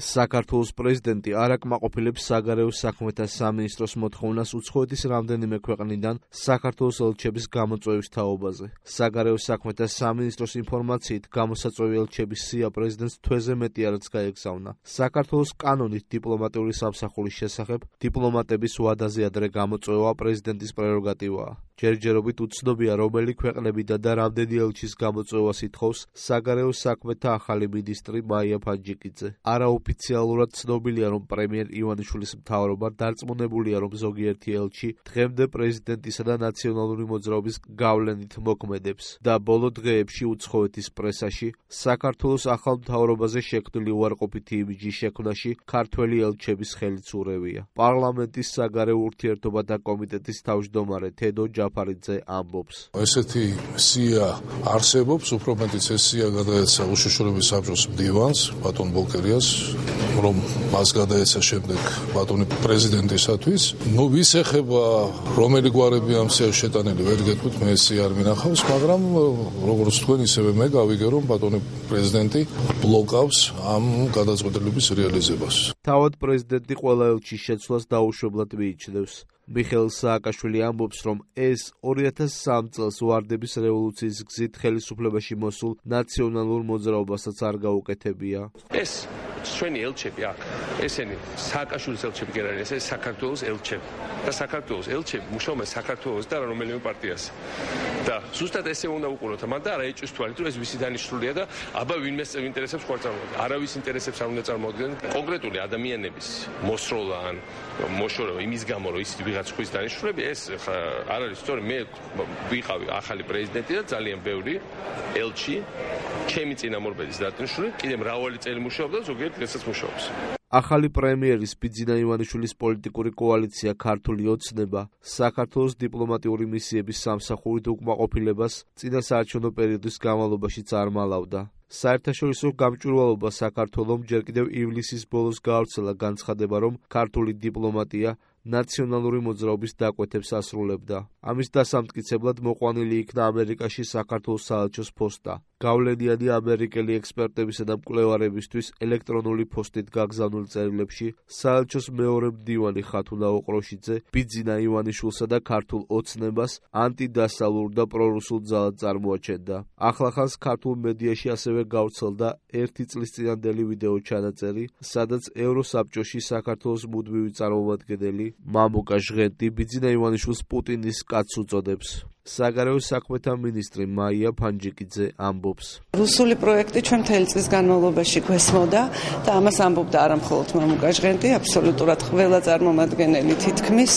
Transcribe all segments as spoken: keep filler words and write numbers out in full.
საქართველოს პრეზიდენტი არ აკმაყოფილებს საგარეო საქმეთა სამინისტროს მოთხოვნას უცხოეთის რამდენიმე ქვეყნიდან საქართველოს ელჩების გამოწვევის თაობაზე. საგარეო საქმეთა სამინისტროს ინფორმაციით, გამოსაწვევი ელჩების სია პრეზიდენტს თვეზე მეტი არაც გაეგზავნა. საქართველოს კანონით დიპლომატიური სამსახურის შესახებ დიპლომატების ვადაზე ადრე გამოწვევა პრეზიდენტის პრეროგატივაა. ჯერჯერობით უცნობია, რომელი ქვეყნებიდან და რამდენი ელჩის გამოწვევას ითხოვს საგარეო საქმეთა ახალი მინისტრი მაია ფანჯიკიძე. არაოფიციალურად ცნობილია, რომ პრემიერ ივანიშვილის მთავრობა დარწმუნებულია, რომ ზოგიერთი ელჩი დღემდე პრეზიდენტისა და ნაციონალური მოძრაობის გავლენით მოქმედებს და ბოლო დღეებში უცხოეთის პრესაში საქართველოს ახალ მთავრობაზე შექმნილი უარყოფითი იმიჯის შექმნაში ქართველი ელჩების ხელიც ურევია. პარლამენტის საგარეო ურთიერთობათა კომიტეტის თავმჯდომარე თედო ჯაფარიძე ამბობს. ესეთი სია არსებობს, უფრო მეტიც ეს სია გადაეცა უშიშროების საბჭოს მდივანს, ბატონ ბოლკერიას, რომ მას გადაეცა შემდეგ ბატონი პრეზიდენტისათვის. ნუ ვის ეხება, რომელი გვარები ამ სიაში შეტანილი, ვერ გეტყვით, მე ეს სია არ მინახავს, მაგრამ როგორც თქვენ, ისევე მე გავიგე, რომ ბატონი პრეზიდენტი ბლოკავს ამ გადაწყვეტილების რეალიზებას. თავად პრეზიდენტი ყველა ელჩის შეცვლას დაუშვებლად მიიჩნევს. მიხეილ სააკაშვილი ამბობს, რომ ეს ორი ათას სამი წელს ვარდების რევოლუციის გზით ხელისუფლებაში მოსულ ნაციონალურ მოძრაობასაც არ გაუკეთებია. ეს ჩვენი ელჩები აქ, ესენი სააკაშვილის ელჩები კი არ არის, ეს საქართველოს ელჩები. და საქართველოს ელჩები მუშაობენ საქართველოს და რომელიმე პარტიას. და ზუსტად ესე უნდა უყუროთ, მაგრამ და არა ეჭვის თვალით, რომ ეს ვისი დანიშნულია და აბა ვინმეს ინტერესებს ხარ წარმოადგენს. არავის ინტერესებს არ უნდა წარმოადგენენ. კონკრეტული ადამიანების მოსროლა ან მოშორება იმის გამო, რომ ის ვიღაც ხვის დანიშნულები, ეს არ არის სწორი. მე ვიყავი ახალი პრეზიდენტი და ძალიან ბევრი ელჩი ჩემი წინამორბედის დანიშნული კიდე მრავალი წელი მუშაობდა, ზოგიერთ დღესაც მუშაობს. ახალი პრემიერის ბიძინა ივანიშვილის პოლიტიკური კოალიცია ქართული ოცნება საქართველოს დიპლომატიური მისიების სამსახურით უკმაყოფილებას წინასაარჩევნო პერიოდის განმავლობაშიც არ მალავდა. საერთაშორისო გამჭვირვალობა საქართველომ ჯერ კიდევ ივლისის ბოლოს გაავრცელა განცხადება, რომ ქართული დიპლომატია ნაციონალური მოძრაობის დაკვეთებს ასრულებდა. ამის დასამტკიცებლად მოყვანილი იქნა ამერიკაში საქართველოს საელჩოს ფოსტა. გავლენიანი ამერიკელი ექსპერტებისა და მკვლევარებისთვის ელექტრონული პოსტით გაგზავნილ წერილებში საელჩოს მეორე მდივანი ხათუნა ოყროშიძე ბიძინა ივანიშვილსა და ქართულ ოცნებას ანტიდასავლურ და პრორუსულ ძალად წარმოაჩენდა. ახლახანს ქართულ მედიაში ასევე გავრცელდა ერთი წლის წინანდელი ვიდეო ჩანაწერი, სადაც ევროსაბჭოში საქართველოს მუდმივი წარმომადგენელი მამუკა ჟღენტი ბიძინა ივანიშვილს პუტინის კაცს უწოდებს. საგარეო საქმეთა მინისტრი მაია ფანჯიკიძე ამბობს. რუსული პროექტი ჩვენ მთელი წლის განმავლობაში გვესმოდა და ამას ამბობდა არა მხოლოდ მამუკა ჟღენტი, აბსოლუტურად ყველა წარმომადგენელი თითქმის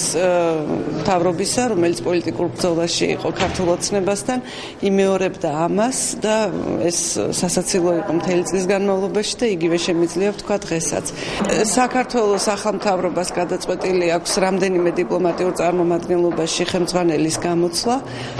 მთავრობისა, რომელიც პოლიტიკურ ბრძოლაში იყო ქართულ ოცნებასთან, იმეორებდა ამას და ეს სასაცილო იყო მთელი წლის განმავლობაში და იგივე შემიძლია ვთქვა დღესაც. საქართველოს ახალ მთავრობას გადაწყვეტილი აქვს რამდენიმე დიპლომატიურ წარმომადგენლობაში ხელმძღვანელის გამოცვლა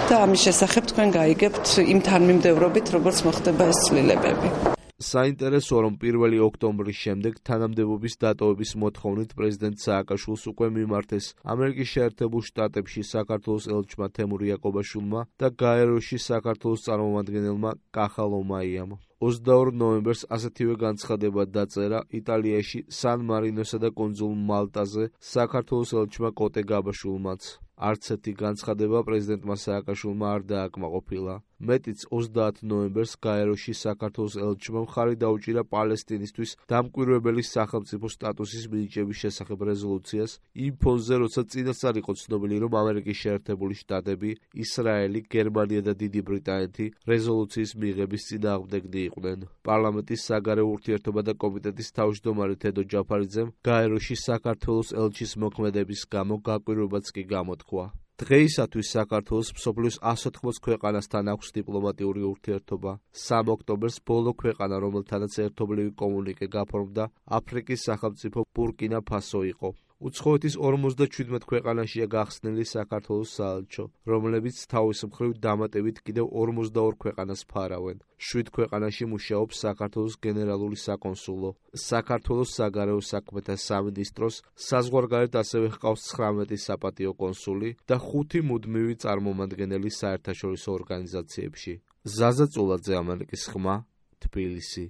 და ამის შესახებ თქვენ გაიგებთ იმ თანმიმდევრობით, როგორც მოხდება ეს ცვლილებები. საინტერესოა, რომ პირველი ოქტომბრის შემდეგ თანამდებობის დატოვების მოთხოვნით პრეზიდენტ სააკაშვილს უკვე მიმართეს ამერიკის შეერთებულ შტატებში საქართველოს ელჩმა თემურ იაკობაშვილმა და გაეროში საქართველოს წარმომადგენელმა კახა ლომაიამ. ოცდაორ ნოემბერს ასეთივე განცხადება დაწერა იტალიაში სან მარინოსა და კუნძულ მალტაზე საქართველოს ელჩმა კოტე გაბაშვილმაც. არც ერთი განცხადება პრეზიდენტმა სააკაშვილმა არ დააკმაყოფილა. მეტიც ოცდაათ ნოემბერს გაეროში საქართველოს ელჩმა მხარი დაუჭირა პალესტინისთვის დამკვირვებელი სახელმწიფო სტატუსის მინიჭების შესახებ რეზოლუციას იმ ფონზე, როცა წინასწარ იყო ცნობილი, რომ ამერიკის შეერთებული შტატები, ისრაელი, გერმანია და დიდი ბრიტანეთი რეზოლუციის მიღების წინააღმდეგნი იყვნენ. პარლამენტის საგარეო ურთიერთობათა კომიტეტის თავმჯდომარე თედო ჯაფარიძემ გაეროში საქართველოს ელჩის მოქმედების გამო გაკვირვებაც კი გამოთქვა. დღეისათვის საქართველოს მსოფლიოს ასი ოთხმოცი ქვეყანასთან აქვს დიპლომატიური ურთიერთობა. სამი ოქტომბერს ბოლო ქვეყანა, რომელთანაც ერთობლივი კომუნიკე გაფორმდა, აფრიკის სახელმწიფო ბურკინა ფასო იყო. უცხოეთის ორმოცდაჩვიდმეტ ქვეყანაშია გახსნილი საქართველოს საელჩო, რომლებიც თავის მხრივ დამატებით კიდევ ორმოცდაორ ქვეყანას ფარავენ. შვიდ ქვეყანაში მუშაობს საქართველოს გენერალური საკონსულო, საქართველოს საგარეო საქმეთა სამინისტროს, საზღვარგარეთ ასევე ჰყავს ცხრამეტი საპატიო კონსული და ხუთი მუდმივი წარმომადგენელი საერთაშორისო ორგანიზაციებში. ზაზა წულაძე, ამერიკის ხმა, თბილისი.